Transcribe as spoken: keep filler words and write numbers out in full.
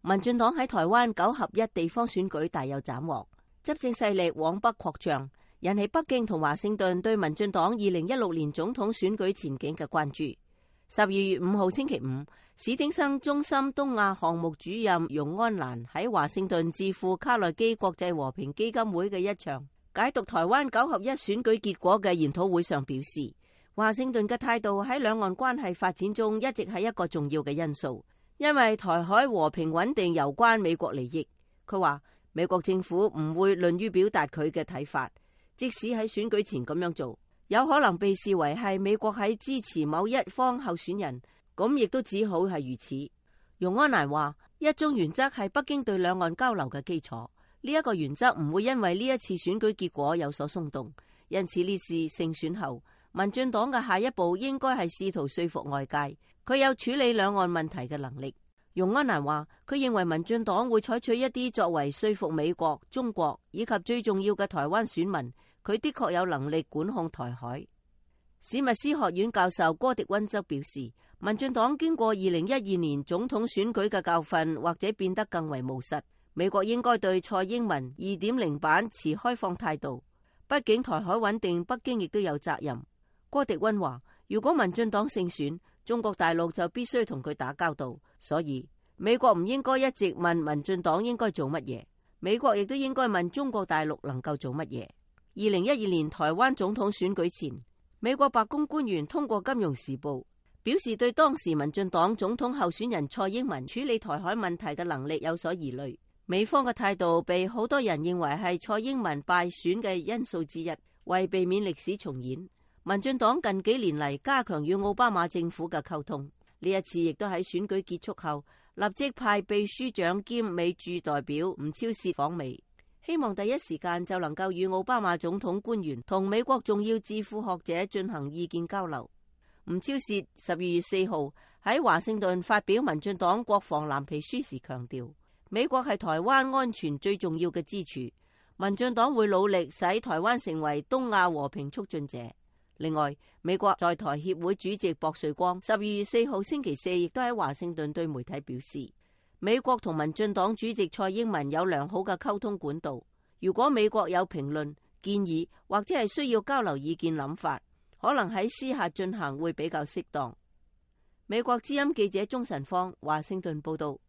民進黨喺台灣九合一地方選舉大有斬獲，執政勢力往北擴張，引起北京同華盛頓對民進黨二零一六年總統選舉前景嘅關注。十二月五號星期五，史汀生中心東亞項目主任容安蘭喺華盛頓智庫卡內基國際和平基金會嘅一場解讀台灣九合一選舉結果嘅研討會上表示，華盛頓嘅態度喺兩岸關係發展中一直係一個重要嘅因素。因為台海和平穩定攸關美國利益，佢話美國政府唔會吝於表達佢嘅睇法，即使喺選舉前咁樣做，有可能被視為係美國喺支持某一方候選人，咁亦都只好係如此。容安蘭話，一中原則係北京對兩岸交流嘅基礎，呢一個原則唔會因為呢一次選舉結果有所鬆動，因此呢次勝選後，民進黨嘅下一步應該係試圖說服外界，佢有處理兩岸問題嘅能力。容安蘭話，佢認為民進黨會採取一啲作為說服美國、中國以及最重要嘅台灣選民，佢的確有能力管控台海。史密斯學院教授柯迪溫則表示，民進黨經過二零一二年總統選舉嘅教訓，或者變得更為務實。美國應該對蔡英文二點零版持開放態度，畢竟台海穩定，北京亦都有責任。柯迪溫話，如果民進黨勝選，中國大陸就必須同佢打交道，所以美國唔應該一直問民進黨應該做乜嘢，美國亦都應該問中國大陸能夠做乜嘢。二零一二年台灣總統選舉前，美國白宮官員通過《金融時報》表示，對當時民進黨總統候選人蔡英文處理台海問題嘅能力有所疑慮。美方嘅態度被好多人認為係蔡英文敗選嘅因素之一，為避免歷史重演，民進黨近幾年嚟加強與奧巴馬政府嘅溝通，呢一次亦都喺選舉結束後立即派秘書長兼美駐代表吳釗燮訪美，希望第一時間就能夠與奧巴馬總統官員同美國重要智庫學者進行意見交流。吳釗燮十二月四號喺華盛頓發表民進黨國防藍皮書時強調，美國係台灣安全最重要嘅支柱，民進黨會努力使台灣成為東亞和平促進者。另外，美國在台協會主席薄瑞光十二月四號星期四亦都喺華盛頓對媒體表示，美國同民進黨主席蔡英文有良好嘅溝通管道，如果美國有評論、建議或者係需要交流意見諗法，可能喺私下進行會比較適當。美國之音記者鍾晨芳華盛頓報道。